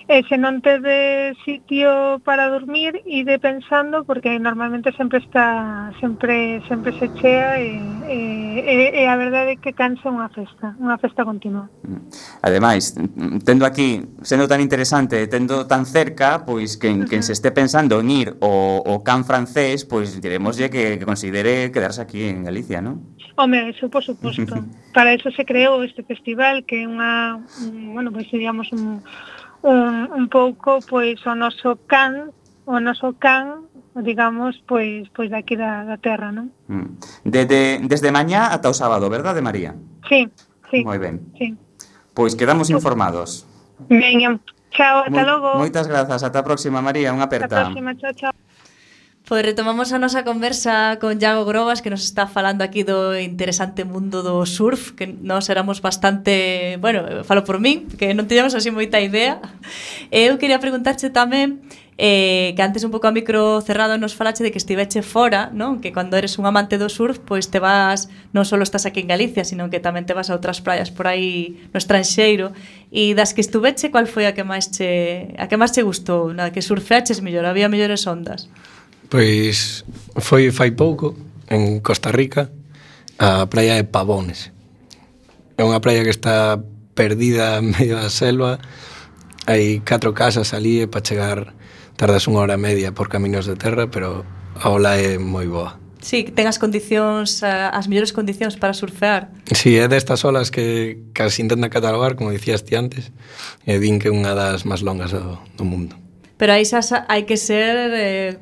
eh, se non tede sitio para dormir, ide pensando, porque normalmente sempre está, sempre sempre se chea, e, e, e a verdade é que cansa unha festa, unha festa continua. Ademais, tendo aquí, sendo tan interesante, tendo tan cerca, pois quen, quen se este pensando en ir ao, ao Cannes francés, pois diremoslle que, que considere quedarse aquí en Galicia, non? Home, eso por suposto. Para eso se creou este festival, que é unha, un, bueno, pois digamos un, un, un pouco pois o noso can, o noso can, digamos, pois pois daqui da, da terra, non? Desde, desde mañá ata o sábado, verdade, María? Sí, sí. Moi ben. Sí. Pois quedamos informados. Veña, chao, ata logo. Moitas grazas, ata a próxima, María, unha aperta. Ata a próxima, chao, chao. Pois retomamos a nosa conversa con Iago Grobas, que nos está falando aquí do interesante mundo do surf, que nós éramos bastante, bueno, falo por min, que non teñamos así moita idea. E eu quería preguntarche tamén, eh, que antes un pouco a micro cerrado nos falache de que estiveche fora, non? Que cando eres un amante do surf, pois te vas, non só estás aquí en Galicia, sino que tamén te vas a outras praias por aí no estranxeiro. E das que estuveche, cual foi a que máis che, a que máis che gustou? Na que surfeaches mellor, había mellores ondas? Pois foi fai pouco en Costa Rica a praia de Pavones. É unha praia que está perdida en medio da selva. Hai catro casas ali e para chegar tardas unha hora e media por camiños de terra, pero a ola é moi boa. Sí, que ten as condicións, as mellores condicións para surfear. Sí, é destas olas que casi intentan catalogar, como dicías ti antes, e din que é unha das máis longas do, do mundo. Pero aí xa hai que ser eh,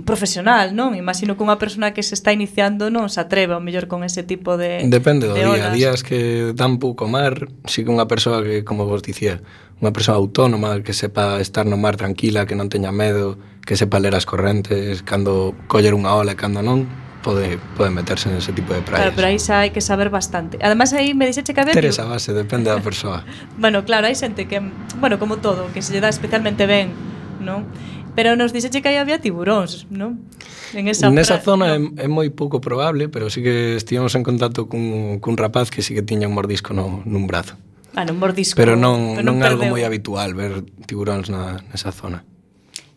profesional, non? Imagino que unha persona que se está iniciando non se atreve ao mellor con ese tipo de Depende do de día, olas. días que dan pouco mar, si que unha persoa que, como vos dicía, unha persoa autónoma que sepa estar no mar tranquila, que non teña medo, que sepa ler as correntes, cando coller unha ola e cando non, pode, pode meterse nese tipo de praias. Claro, pero aí xa hai que saber bastante. Ademais aí me dixeche que había... Ter esa base, depende da persoa. Bueno, claro, hai xente que, bueno, como todo, que se lle dá especialmente ben, non? Pero nos dixeche que aí había tiburóns, non? En esa, Nesa pra... zona no. é, é moi pouco probable, pero sí que estivemos en contacto cun, cun rapaz que sí que tiña un mordisco no, nun brazo. Ah, non mordisco. Pero non, pero non é algo perdeu. moi habitual ver tiburóns na, nesa zona.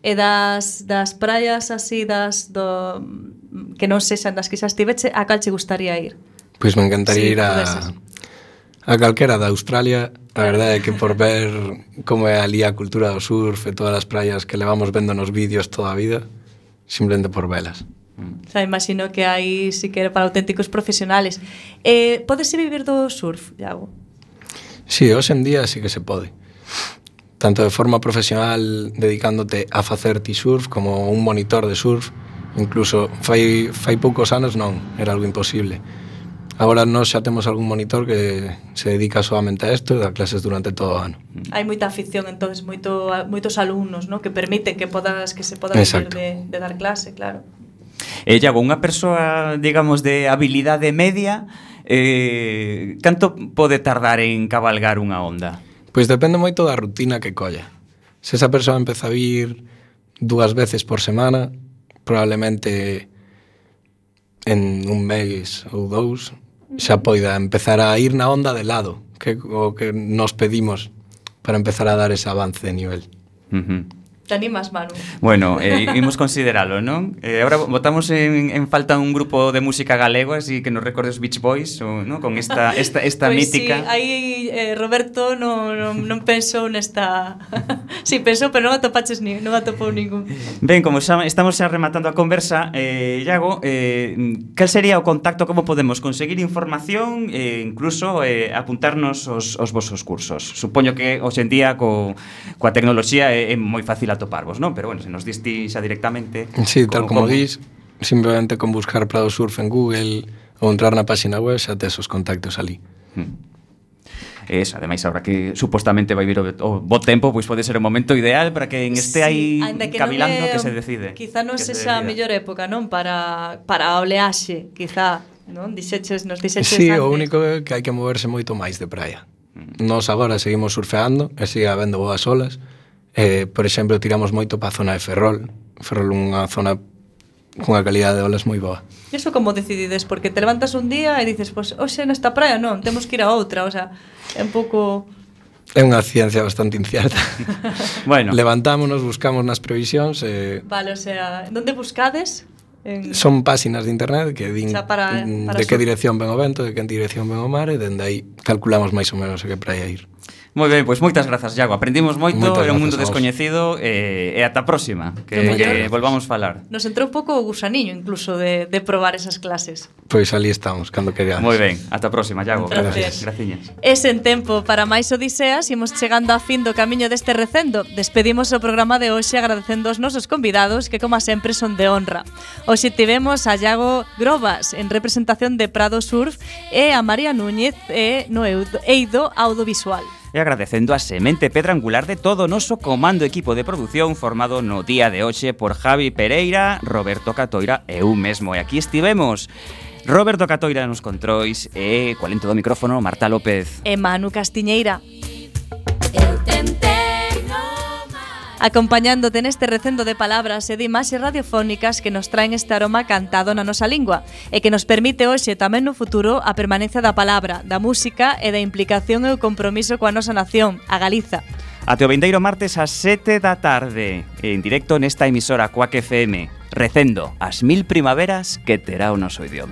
E das, das praias así, das do, que non sexan das que xa estiveche, a cal che gustaría ir? Pois me encantaría Sí, ir a, pudeses. a calquera da Australia. A verdade é que por ver como é ali a cultura do surf e todas as praias que levamos vendo nos vídeos toda a vida, simplemente por velas. O sea, imagino que hai sí que era para auténticos profesionales. Eh, podese vivir do surf, Iago? Sí, hoxe en día sí que se pode. Tanto de forma profesional dedicándote a facer ti surf como un monitor de surf. Incluso fai, fai poucos anos non, era algo imposible. Agora nós xa temos algún monitor que se dedica solamente a isto e dá clases durante todo o ano. Hai moita afición, entonces moito, moitos alumnos, ¿no? Que permiten que podas que se poda vivir de, de dar clase, claro. E Iago, unha persoa, digamos, de habilidade media, eh, canto pode tardar en cabalgar unha onda? Pois depende moito da rutina que colla. Se esa persoa empeza a vir dúas veces por semana, probablemente en un mes ou dous xa poida empezar a ir na onda de lado, que o que nos pedimos para empezar a dar ese avance de nivel. Uh-huh. Te animas, Manu? Bueno, eh, imos consideralo, non? Eh, ahora botamos en, en falta un grupo de música galego, así que nos recorde os Beach Boys, o, ¿no? Con esta, esta, esta pues mítica. Sí, aí eh, Roberto non, non, non pensou nesta... sí, pensou, pero non atopaches ni, non atopou ningún. Ben, como xa estamos xa rematando a conversa, eh, Iago, eh, cal sería o contacto, como podemos conseguir información e eh, incluso eh, apuntarnos os, os vosos cursos? Supoño que hoxe en día co, coa tecnoloxía é, é moi fácil atoparvos, non? Pero bueno, se nos diste xa directamente... Sí, tal como, como dis, simplemente con buscar Prado Surf en Google ou entrar na página web xa tes os contactos ali. Hmm. Eso, ademais, agora que supostamente vai vir o, o bo tempo, pois pode ser o momento ideal para que en este aí sí, cavilando é, que se decide. Quizá non se sexa a decida. mellor época, non? Para, para a oleaxe, quizá, non? Dixeches, nos dixeches Sí, antes. o único é que hai que moverse moito máis de praia. Nos agora seguimos surfeando e sigue habendo boas olas. Eh, por exemplo, tiramos moito para a zona de Ferrol. Ferrol é unha zona cunha calidade de olas moi boa. E iso como decidides? Porque te levantas un día e dices, pois, pues, hoxe nesta praia non, temos que ir a outra, o sea, é un pouco... É unha ciencia bastante incierta. Bueno. Levantámonos, buscamos nas previsións e... Vale, o sea, onde buscades? En... Son páxinas de internet que din O sea, para- mm, para de que surf. dirección ven o vento, de que dirección ven o mar e dende aí calculamos máis ou menos a que praia ir. Moi ben, pois moitas grazas, Iago. Aprendimos moito, Moitas é un mundo grazas a vos. descoñecido e, e ata a próxima, que, Que que mellor. volvamos falar. Nos entrou un pouco o gusaniño incluso de, de probar esas clases. Pois ali estamos, cando queramos. Moi ben, ata a próxima, Iago. Un placer. Graciñas. E sen tempo para máis odiseas, imos chegando a fin do camiño deste recendo. Despedimos o programa de hoxe agradecendo aos nosos convidados que, como sempre, son de honra. Hoxe tivemos a Iago Grobas en representación de Prado Surf e a María Núñez e no Eido Audiovisual. e agradecendo a semente pedra angular de todo o noso comando equipo de produción formado no día de hoxe por Javi Pereira, Roberto Catoira e eu mesmo. E aquí estivemos Roberto Catoira nos controis e coa lento do micrófono Marta López e Manu Castiñeira. Acompañándote neste recendo de palabras e de imaxes radiofónicas que nos traen este aroma cantado na nosa lingua e que nos permite hoxe tamén no futuro a permanencia da palabra, da música e da implicación e o compromiso coa nosa nación, a Galiza. Até o vindeiro martes ás sete da tarde, en directo nesta emisora Quack F M, recendo as mil primaveras que terá o noso idioma.